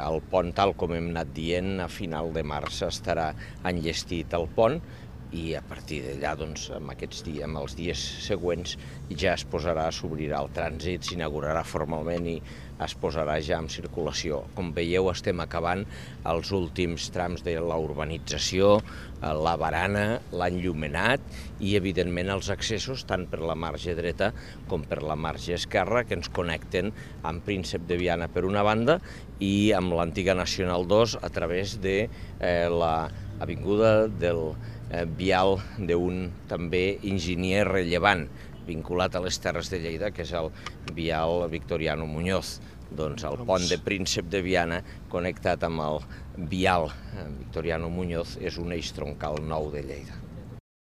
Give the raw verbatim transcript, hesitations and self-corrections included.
El pont, tal com hem anat dient, a final de març estarà enllestit el pont i a partir d'allà, doncs, amb aquests dies, amb els dies següents, ja es posarà, s'obrirà el trànsit, s'inaugurarà formalment i es posarà ja en circulació. Com veieu, estem acabant els últims trams de la urbanització, la barana, l'enllumenat i, evidentment, els accessos tant per la marge dreta com per la marge esquerra que ens connecten amb Príncep de Viana per una banda i amb l'antiga Nacional dos a través de eh, l'avinguda del eh, vial d'un també enginyer rellevant vinculat a les Terres de Lleida, que és el vial Victoriano Muñoz. Doncs el pont de Príncep de Viana connectat amb el vial Victoriano Muñoz és un eix troncal nou de Lleida.